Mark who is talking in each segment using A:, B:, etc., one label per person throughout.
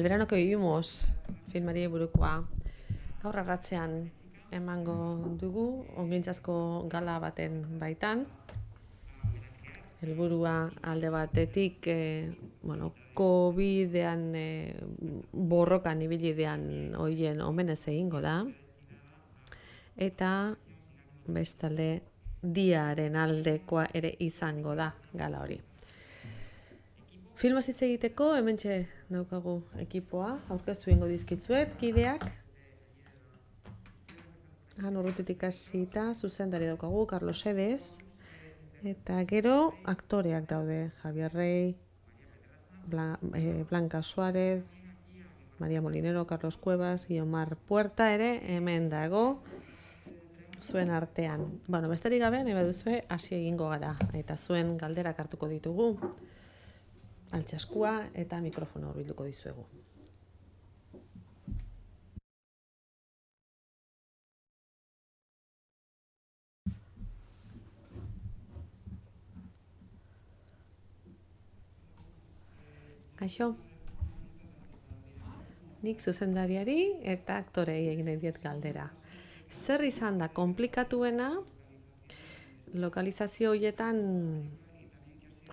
A: El verano que vivimos, filmari burukoa. Gaur arratzean emango dugu, ongintzazko gala baten baitan. Helburua alde batetik, COVID-ean borrokan ibilidean hoien omenez egingo da. Eta bestalde diaren aldekoa ere izango da gala hori. Filmaz hitz egiteko hementxe daukagu ekipoa, aurkeztu egingo dizkitzuet, kideak. Han urrutitik hasita zuzendari daukagu, Carlos Edes. Eta gero aktoreak daude, Javier Rey, Blanca Suárez, María Molinero, Carlos Cuevas, Guiomar Puerta ere hemen dago zuen artean. Besterik gabe, nahi baduzue hasi egingo gara. Eta zuen galderak hartuko ditugu, altxaskua eta mikrofono hurbilduko dizuegu. Kaixo, nik zuzendariari eta aktorei egin nahi diet galdera. Zer izan da komplikatuena lokalizazio horietan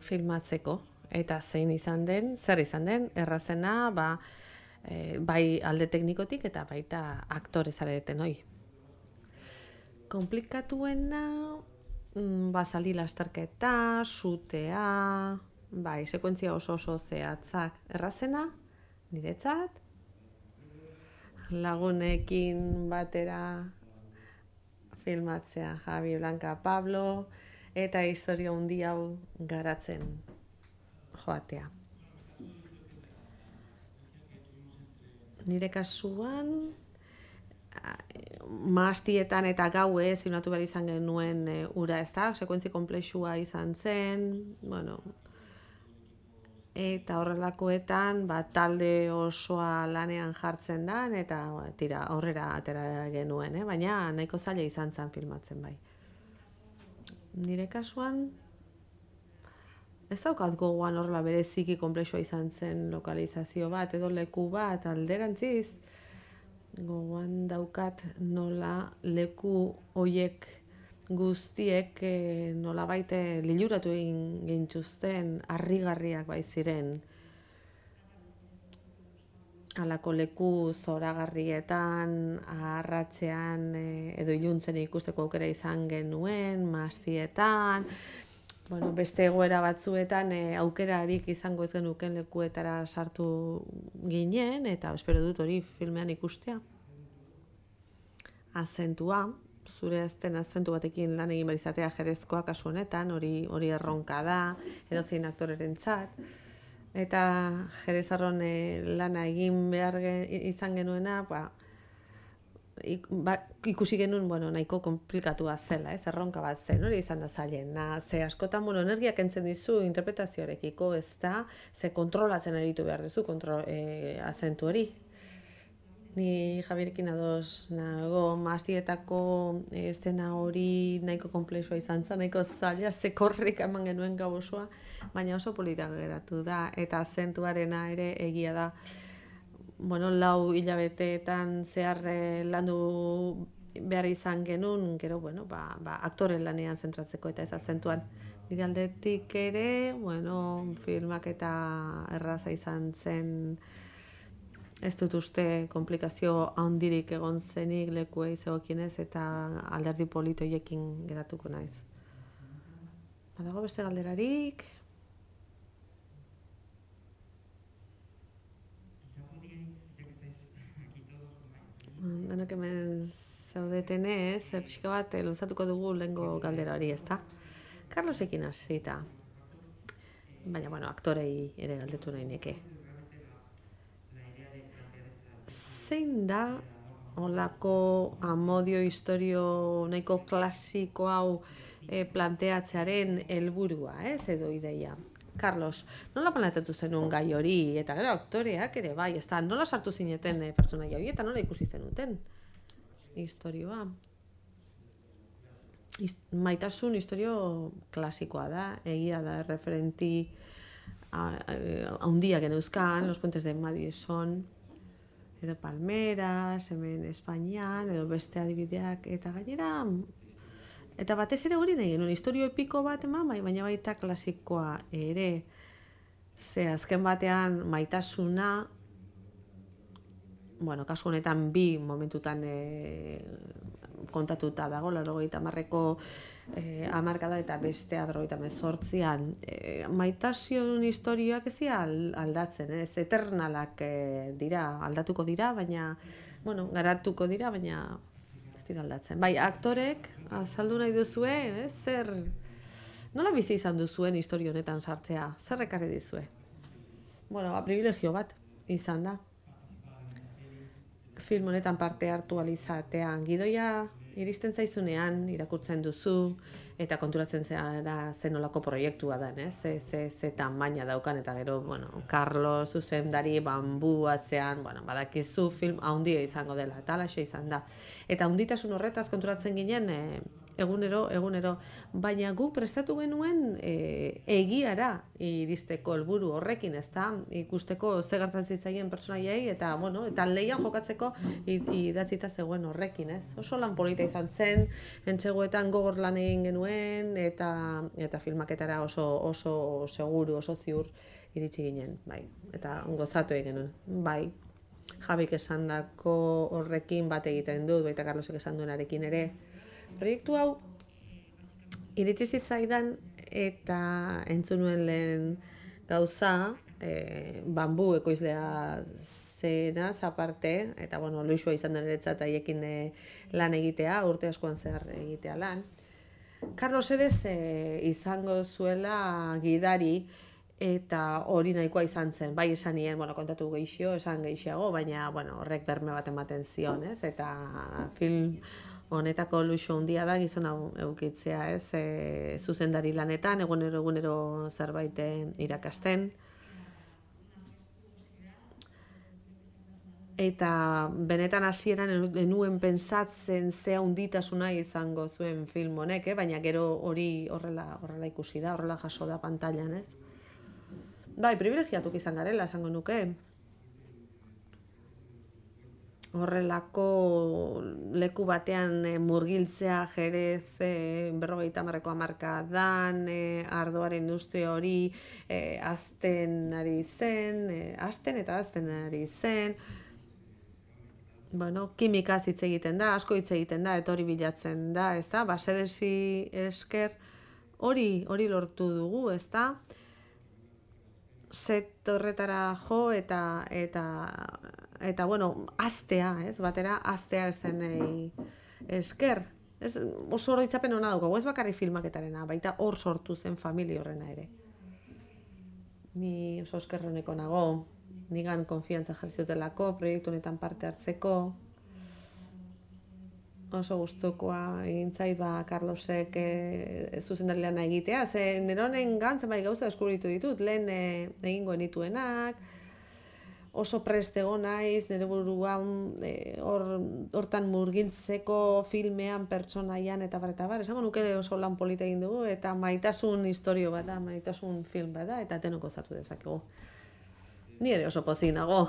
A: filmatzeko? Eta zer izan den, errazena, bai alde teknikotik eta baita aktore zareten hoi. Komplikatuena, zaldi lasterketa, sutea, sekuentzia oso zehatzak. Errazena, niretzat, lagunekin batera filmatzea, Javi, Blanca, Pablo, eta historia handi hau garatzen joatea. Nire kasuan, mahastietan eta gauez filmatu behar izan genuen ura, ez da? Sekuentzi konplexua izan zen, eta horrelakoetan talde osoa lanean jartzen da, eta aurrera atera genuen, baina nahiko zaila izan zen filmatzen bai. Nire kasuan, ez daukat gogoan horrela bereziki konplexua izan zen lokalizazio bat edo leku bat alderantziz. Gogoan daukat nola leku hoiek guztiek nola baite liluratu egin gintuzten, harrigarriak bai ziren. Halako leku zoragarrietan, arratsean edo iluntzen ikusteko aukera izan genuen, mahastietan, beste egoera batzuetan aukerarik izango ez genuken lekuetara sartu ginen, eta espero dut hori filmean ikustea. Azentua, zure azten azentu batekin lan egin behar izatea jerezkoa kasu honetan, hori erronka da, edozein aktorerentzat. Eta jerezarron lana egin behar izan genuena, ikusi genuen nahiko komplikatua zela, erronka bat zen, hori izan da zailena. Ze askotan energia kentzen dizu interpretazioarekiko, ez da, ze kontrolatzen aritu behar duzu azentu hori. Ni Javierekin ados nago, mahastietako estena hori nahiko konplexua izan zen, nahiko zaila, ze korrika eman genuen gau osoa, baina oso polita geratu da, eta azentuarena ere egia da. 4 hilabeteetan zehar landu behar izan genuen, gero, aktore lanean zentratzeko eta ez azentuan. Nire aldetik ere, filmak eta erraza izan zen, ez dut uste komplikazio handirik egon zenik lekuei zegokienez eta alderdi polito hiekin geratuko naiz. Badago beste galderarik? Denok hemen zaudetenez, pixka bat luzatuko dugu lehengo galdera hori, ezta? Carlosekin hasita, baina, aktorei ere galdetu nahi neke. Zein da holako amodio historio nahiko klasiko hau planteatzearen helburua, edo ideia? Carlos, nola planteatu zenuen gai hori, eta gero aktoreak ere bai, ez da, nola sartu zineten pertsonaia hori, eta nola ikusi zenuten historioa? Maitasun historio klasikoa da, egia da, referenti haundiak geneuzkan, Los Puentes de Madison, edo Palmeras, hemen Espainian, edo beste adibideak, eta gainera, eta batez ere hori nahi genuen, historio epiko bat eman, baina baita klasikoa ere, ze azken batean maitasuna, bueno, kasu honetan bi momentutan kontatuta dago, 80ko hamarkada eta bestea 78an. Maitasun historioak ez dira aldatzen, ez eternalak dira, aldatuko dira, baina, bueno, garatuko dira, baina ez dira aldatzen. Bai, aktorek, azaldu nahi duzue, zer, nola bizi izan duzuen historio honetan sartzea, zer ekarri dizue? Bueno, privilegio bat izan da. Film honetan parte hartu alizatean, gidoia iristen zaizunean, irakurtzen duzu, eta konturatzen zera zenolako proiektua da, ze tamaina daukan, eta gero, bueno, Carlos zuzendari bambu atzean, bueno, badakizu film haundia izango dela, eta alaxe izan da. Eta haunditasun horretaz konturatzen ginen, egunero, baina guk prestatu genuen egiara iristeko helburu horrekin, ezta? Ikusteko ze gertatzen zitzaien pertsonaiei eta bueno, eta leian jokatzeko idatzita zegoen horrekin, ez? Oso lan polita izan zen, entseguetan gogor lan egin genuen eta filmaketara oso seguru, oso ziur iritsi ginen, bai. Eta gozatu egin genuen, bai. Jabik esandako horrekin bat egiten dut, baita Carlosek esan duenarekin ere. Proiektu hau iritsi zitzaidan eta entzun nuen lehen gauza, bambu ekoizlea zenaz aparte, eta bueno, luxua izan den eretzat haiekin lan egitea, urte askoan zehar egitea lan. Carlos Edez izango zuela gidari, eta hori nahikoa izan zen, bai esan nien, bueno, kontatu esan gehiago, baina bueno, horrek berme bat ematen zion, ez? Eta film honetako luxu handia da gizon hau eukitzea, ez? Zuzendari lanetan, egunero zerbait irakasten. Eta benetan hasieran enuen pentsatzen ze handitasuna izango zuen film honek, baina gero hori horrela ikusi da, horrela jaso da pantailan, ez? Bai, privilegiatuk izan garela, esango nuke. Horrelako leku batean murgiltzea Jerez 50ko hamarkadan, ardoaren industria hori hazten ari zen, bueno, kimikaz hitz egiten da, asko hitz egiten da, eta hori bilatzen da, ezta? Basedesi esker hori lortu dugu, ezta? Set horretara jo eta bueno, aztea, ez? Batera aztea ezenei esker. Ez, oso oroitzapen hona daukagu, ez bakarri filmaketarena, baita hor sortu zen familia horrena ere. Ni oso eskerroneko nago, nigan konfiantza jarri zutelako, proiektu honetan parte hartzeko. Oso gustukoa egin zait Carlosek zuzendari lana egitea, ze neronen zenbait gauza deskubritu ditut, lehen egingo nituenak, oso prest egon naiz, nire buruan hortan murgiltzeko filmean, pertsonaian eta bar, esango nuke oso lan polita egin dugu, eta maitasun historio bat da, maitasun film bat da, eta denok gozatu dezakegu. Ni ere oso pozik nago,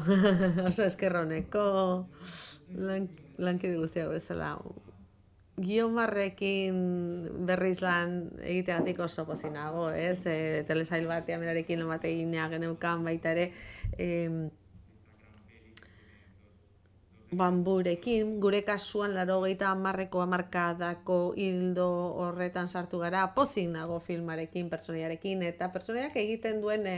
A: oso eskerroneko lankide guztiak bezala. Guiomarrekin berriz lan egiteagatik oso pozik nago, ez? Telesail batean berarekin lan bat egina geneukan baita ere, bamburekin, gure kasuan 80ko hamarkadako hildo horretan sartu gara, pozik nago filmarekin, pertsonaiarekin, eta pertsonaiak egiten duen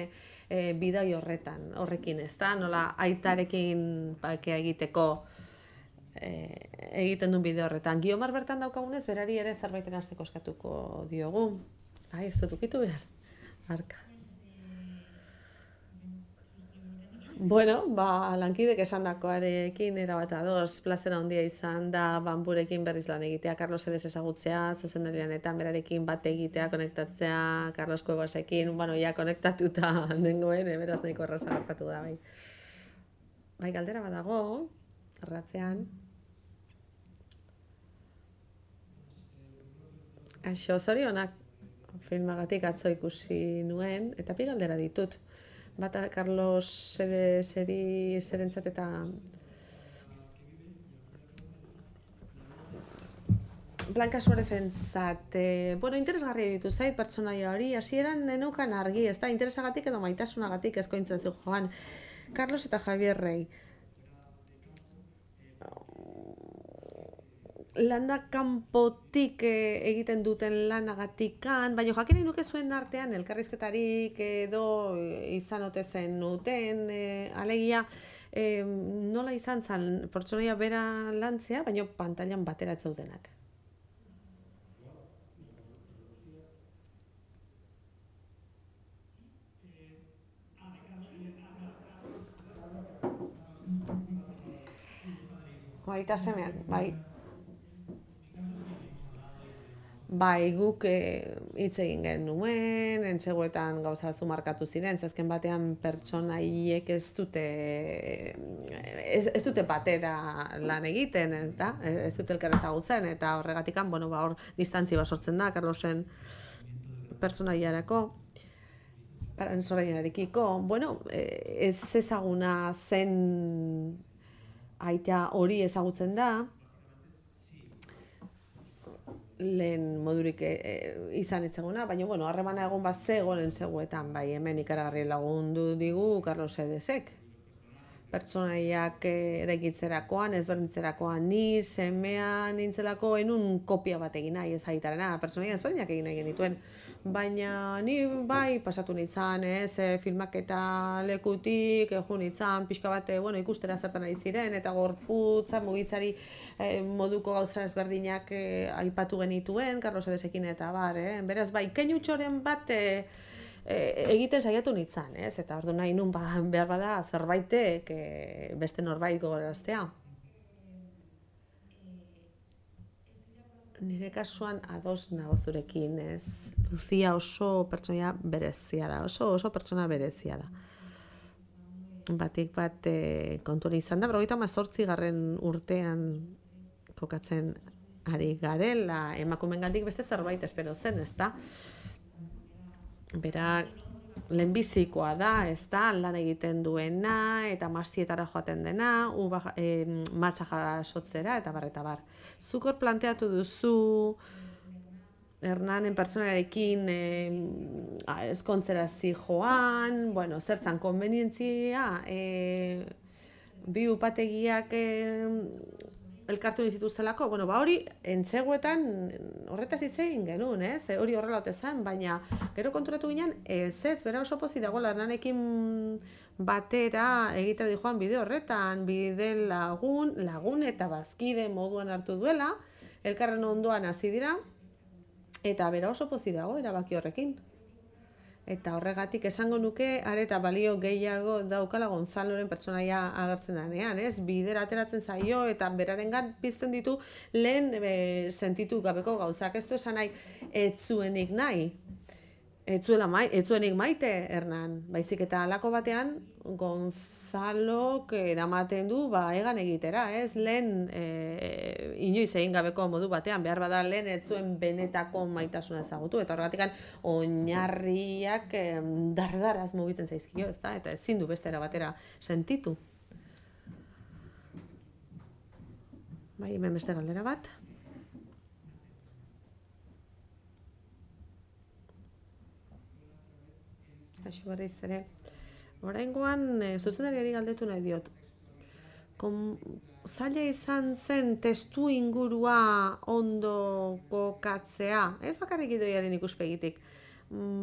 A: bidai horrekin, ez da? Nola aitarekin egiteko egiten duen bideo horretan. Guiomar bertan daukagunez, berari ere zerbaiten hasteko eskatuko diogu. Ai, ez dut ukitu behar. Arka. Bueno, lankidek esandakoarekin erabat ados, plazera handia izan da bamburekin berriz lan egitea, Carlos Edez ezagutzea, zuzendarian eta berarekin bat egitea, konektatzea, Carlos Cuevasekin, bueno, ja konektatuta nengoen, beraz nahiko erraza gertatu da, bai. Bai, galdera badago, erratzean. Aixo, zorionak filmagatik atzo ikusi nuen, eta bi galdera ditut. Bata Carlos zerentzat eta Blanca Suarezentzat, bueno, interesgarria ditu zait pertsonaia hori, hasieran neneukan argi, ez da, interesagatik edo maitasunagatik eskointzen zu joan. Carlos eta Javier Rey. Landa kanpotik egiten duten lanagatikan, baina jakin nuke zuen artean elkarrizketarik edo izan ote zenuten, alegia nola izan zen pertsonaia bera lantzea, baina pantailan batera ez zaudenak. Baita semeak, bai. Bai, guk hitz egin genuen, entseguetan gauza batzu markatu ziren, azken batean pertsonaiek ez dute batera lan egiten, eta ez dute elkar ezagutzen, eta horregatikan, bueno, hor distantzi bat sortzen da, Carlosen pertsonaiarako, pertsonaiarekiko, bueno, ez ezaguna zen aita hori ezagutzen da, lehen modurik izan etzeguna, baina, bueno, harremana egon bat zegoen entzeguetan, bai, hemen ikaragarri lagundu digu Carlos Edesek. Pertsonaiak eraikitzerakoan, ezberdintzerakoan, ni semea nintzelako enun kopia bat egin nahi ez aitarena, pertsonaia ezberdinak egin nahi genituen. Baina ni bai pasatu nintzen, filmaketa lekutik, jo nintzen, pixka bat, bueno, ikustera zertan ari ziren, eta gorputza mugitzari moduko gauza ezberdinak aipatu genituen, Carlos Edesekin eta bar, beraz bai, keinutxoren bat egiten saiatu nintzen, eta ordu nahi nun behar bada zerbaitek beste norbait gogoraraztea. Nire kasuan ados nago zurekin, ez? Lucia oso pertsonaia berezia da, oso pertsona berezia da. Batik bat kontuan izan da, 38. urtean kokatzen ari garela, emakumeengandik beste zerbait espero zen, ezta? Bera lehenbizikoa da, ezta? Lan egiten duena, eta mastietara joaten dena, martxa jasotzera, eta bar. Zuk hor planteatu duzu Hernanen pertsonarekin ezkontzera zijoan, bueno, zertzan konbenientzia, bi upategiak elkartu nizituztelako, bueno, hori entzeguetan horretaz hitz egin genuen, hori horrela ote zen, baina gero konturatu ginen, bera oso pozik dagoela Hernanekin batera egitera dijoan bide horretan, bide lagun eta bazkide moduan hartu duela, elkarren ondoan hasi dira, eta bera oso pozik dago erabaki horrekin. Eta horregatik esango nuke, areta balio gehiago daukala Gonzaloren pertsonaia agertzen denean, bidera ateratzen zaio eta berarengan pizten ditu lehen sentitu gabeko gauzak. Ez du esan nahi, ez zuenik nahi, ez zuenik maite Hernan, baizik eta halako batean Gonzalok eramaten du egan egitera, lehen inoiz egin gabeko modu batean, behar bada lehen ez zuen benetako maitasuna ezagutu, eta horregatik oinarriak dardaraz mugitzen zaizkio, eta ezin du beste era batera sentitu. Bai, hemen beste galdera bat. Aixo berriz ere. Oraingoan, zuzendariari galdetu nahi diot. Zaila izan zen testu ingurua ondo kokatzea, ez bakarrik idoiaren ikuspegitik.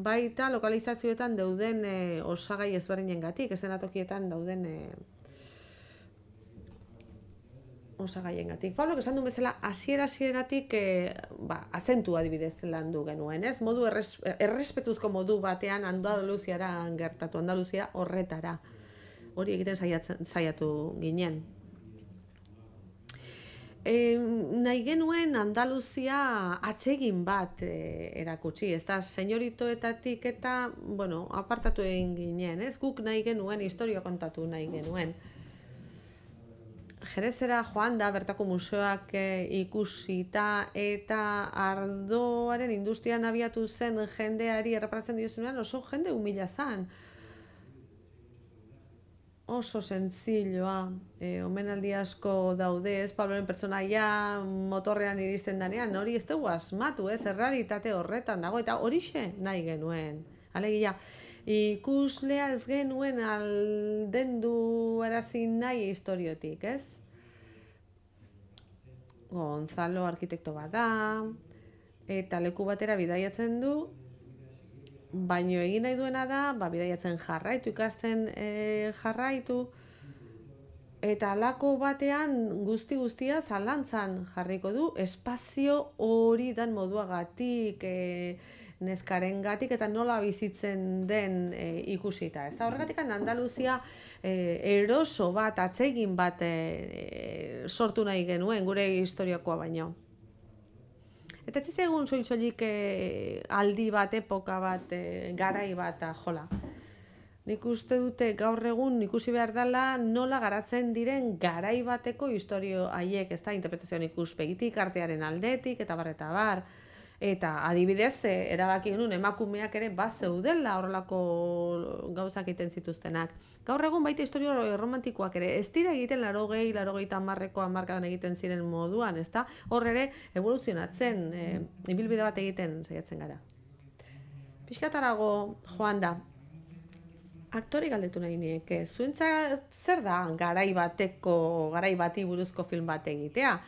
A: Baita lokalizazioetan dauden osagai ezberdinengatik, ez denatokietan dauden osagaiengatik. Pablok esan duen bezala, hasieratik azentu adibidez landu genuen, ez? Modu errespetuzko modu batean Andaluziara gertatu, Andaluzia horretara. Hori egiten saiatu ginen. Nahi genuen Andaluzia atsegin bat erakutsi, ez da, senyoritoetatik eta, bueno, apartatu egin ginen, ez? Guk nahi genuen, historia kontatu nahi genuen. Jerezera joan da, bertako museoak ikusita, eta ardoaren industrian abiatu zen jendeari erreparatzen diozunean oso jende humila zen. Oso sentzilloa, omenaldi asko daude, ez, Pabloren pertsonaia motorrean iristen danean, hori ez dugu asmatu, ez, errealitate horretan dago, eta horixe nahi genuen. Alegia, ikuslea ez genuen aldendu arazi nahi historiotik, ez? Gonzalo arkitekto bat da, eta leku batera bidaiatzen du, baino egin nahi duena da, bidaiatzen jarraitu, ikasten jarraitu, eta halako batean guztia zalantzan jarriko du, espazio hori dan moduagatik, neskarengatik eta nola bizitzen den ikusita. Ez da horregatik Andaluzia eroso bat, atsegin bat sortu nahi genuen, gure historiakoa baino. Eta ez egun soilik aldi bat, epoka bat, garai bat, jola. Nik uste dute gaur egun ikusi behar dela nola garatzen diren garai bateko historio haiek, ez da, interpretazioan ikuspegitik, artearen aldetik, eta bar. Eta adibidez, erabaki genuen emakumeak ere bazeudela horrelako gauzak egiten zituztenak. Gaur egun baita historio romantikoak ere, ez dira egiten 80-90ko hamarkadan egiten ziren moduan, ezta? Hor ere evoluzionatzen, ibilbide bat egiten saiatzen gara. Pixkatarago joan da, aktori galdetu nahi nieke, zuentzat zer da garai bati buruzko film bat egitea?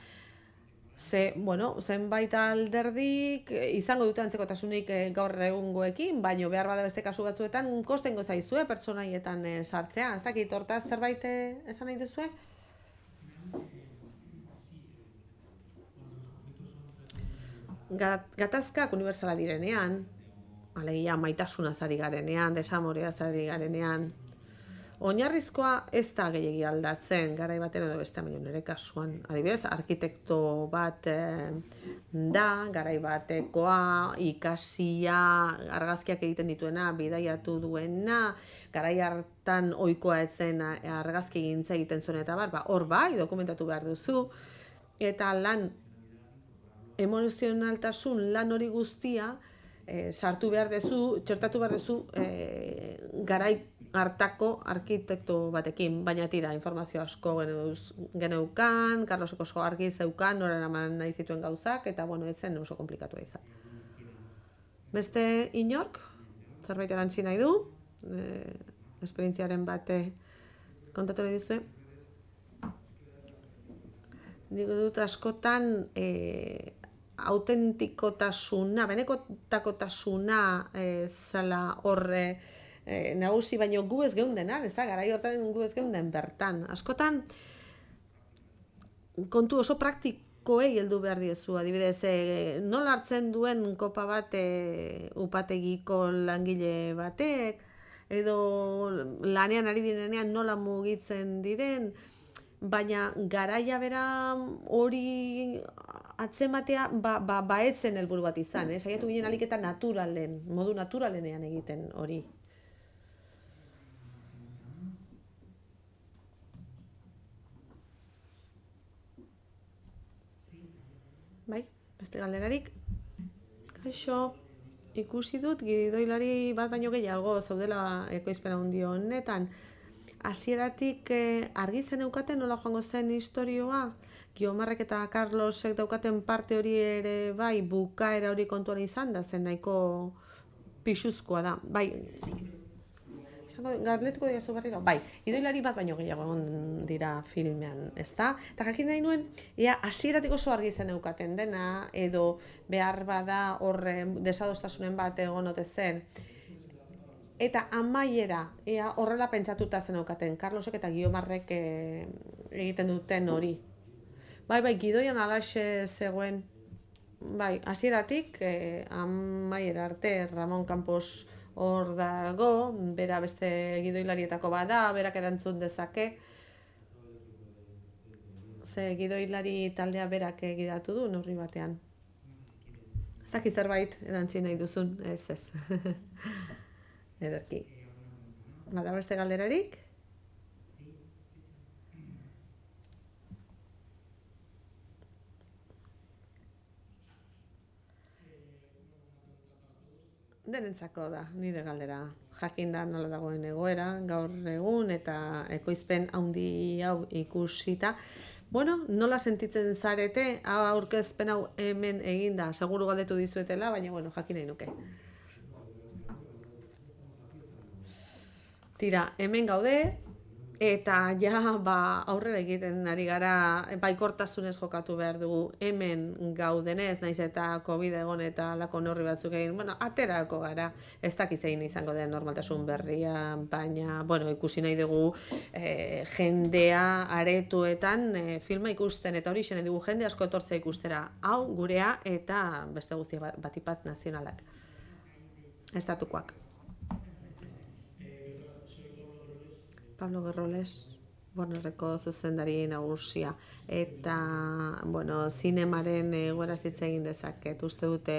A: Zenbait alderdik izango dute antzekotasunik gaur egungoekin, baino behar bada beste kasu batzuetan kostengo zaizue pertsonaietan sartzea. Ez dakit, hortaz zerbait esan nahi duzue? Gatazkak unibertsala direnean, alegia maitasunaz ari garenean, desamoreaz ari garenean, oinarrizkoa ez da gehiegi aldatzen, garai baten edo beste, baina nire kasuan. Adibidez, arkitekto bat da, garai batekoa, ikasia, argazkiak egiten dituena, bidaiatu duena, garai hartan ohikoa etzen argazki gintza egiten zuen eta hor bai, dokumentatu behar duzu, eta lan emozionaltasun lan hori guztia sartu behar duzu, txertatu behar duzu garai hartako arkitekto batekin, baina tira, informazio asko geneukan, Carlosek oso argi zeukan, noren eman nahi zituen gauzak, eta ez zen oso komplikatua izan. Beste inork, zerbait erantzi nahi du, esperientziaren bat kontatu nahi duzue. Nik dut askotan autentikotasuna, benekotakotasuna zela horre nagusi, baino gu ez geundenan, ez da, garai hortan gu ez geunden bertan. Askotan, kontu oso praktikoei heldu behar diezu, adibidez, nola hartzen duen kopa bat upategiko langile batek, edo lanean ari direnean nola mugitzen diren, baina garaia bera hori atzematea etzen helburu bat izan, saiatu ginen alik eta naturalen, modu naturalenean egiten hori. Bai, beste galderarik. Kaixo, ikusi dut gidoilari bat baino gehiago zaudela ekoizpen handi honetan. Hasieratik argi zen eukaten nola joango zen historioa? Guiomarrek eta Carlosek daukaten parte hori ere bai, bukaera hori kontuan izan da, zen nahiko pixuzkoa da. Bai, galdetuko diazu berriro? Bai, gidoilari bat baino gehiago egon dira filmean, ezta? Eta jakin nahi nuen, hasieratik oso argi zen eukaten dena, edo behar bada horre desadostasunen bat egon ote zen. Eta amaiera, horrela pentsatuta zen eukaten, Carlosek eta Guiomarrek egiten duten hori. Bai, gidoian alaxe zegoen, bai, hasieratik amaiera arte Ramon Campos hor dago, bera beste gidoilarietako bada, berak erantzun dezake. Ze gidoilari taldea berak gidatu du neurri batean. Ez dakit zerbait erantzi nahi duzun, ez. Ederki. Bada beste galderarik? denentzako da, nire galdera. Jakinda nola dagoen egoera, gaur egun, eta ekoizpen handi hau ikusita. Bueno, nola sentitzen zarete, aurkezpen hau hemen eginda, seguru galdetu dizuetela, baina bueno, jakin nahi nuke. Tira, hemen gaude, eta ja aurrera egiten ari gara, baikortasunez jokatu behar dugu hemen gaudenez, naiz eta COVID egon eta lako neurri batzuk egin, bueno, aterako gara, ez dakit zein izango den normaltasun berria, baina, bueno, ikusi nahi dugu jendea aretuetan filma ikusten, eta hori xene dugu jende asko etortzea ikustera, hau gurea eta beste guztia batipat nazionalak, estatukoak. Pablo Gerroles, Warnerreko zuzendari nagusia, eta, bueno, zinemaren egoera hitz egin dezaket. Uste dute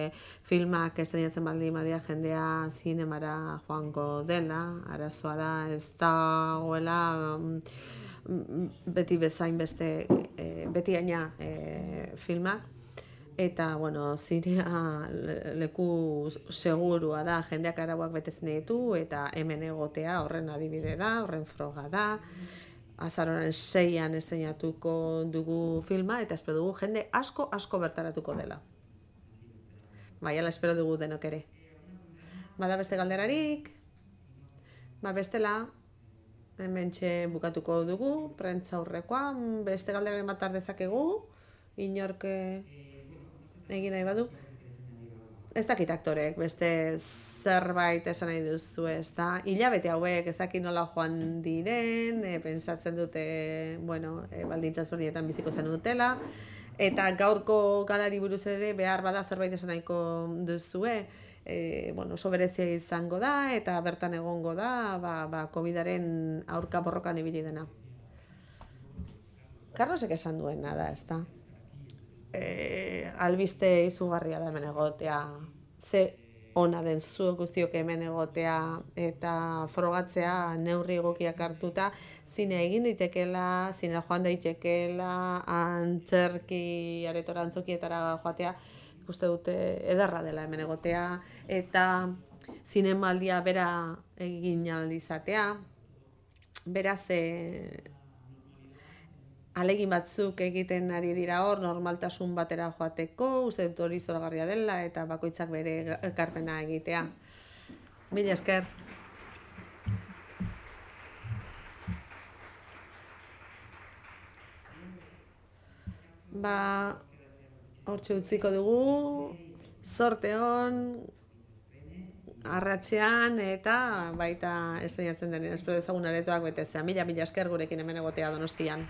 A: filmak estrenatzen baldin badia jendea zinemara joango dela, arazoa da, ez dagoela beti bezain beste, beti gaina filmak. Eta, bueno, zinea leku segurua da, jendeak arauak betetzen ditu, eta hemen egotea horren adibide da, horren froga da. Azaroaren 6an estrenatuko dugu filma, eta espero dugu jende asko bertaratuko dela. Baiala espero dugu denok ere. Bada beste galderarik, bestela, hementxe bukatuko dugu, prentza aurrekoa, beste galderaren bat dezakegu, inork egin nahi badu. Ez dakit aktorek, beste zerbait esan nahi duzu, ez da. Hilabete hauek, ez dakit nola joan diren, pentsatzen dute, bueno, baldintzaz berdinetan biziko zen dutela. Eta gaurko galari buruz ere, behar bada zerbait esan nahiko duzue, bueno, oso berezia izango da, eta bertan egongo da, COVID-aren aurka borrokan ibili dena. Carlosek esan duena da, ez da. Albiste izugarria da hemen egotea, ze ona den zuek guztiok hemen egotea eta frogatzea neurri egokiak hartuta, zine egin daitekela, zine joan daitekela, antzerki aretora antzokietara joatea, ikuste dute ederra dela hemen egotea, eta zinemaldia bera egin ahal izatea, beraz alegin batzuk egiten ari dira hor, normaltasun batera joateko, uste dut hori zoragarria dela, eta bakoitzak bere ekarpena egitea. Mila esker. Hortxe utziko dugu, zorte hon, arratsean eta baita estrenatzen denean, espero dezagun aretoak betetzea. Mila esker gurekin hemen egotea Donostian.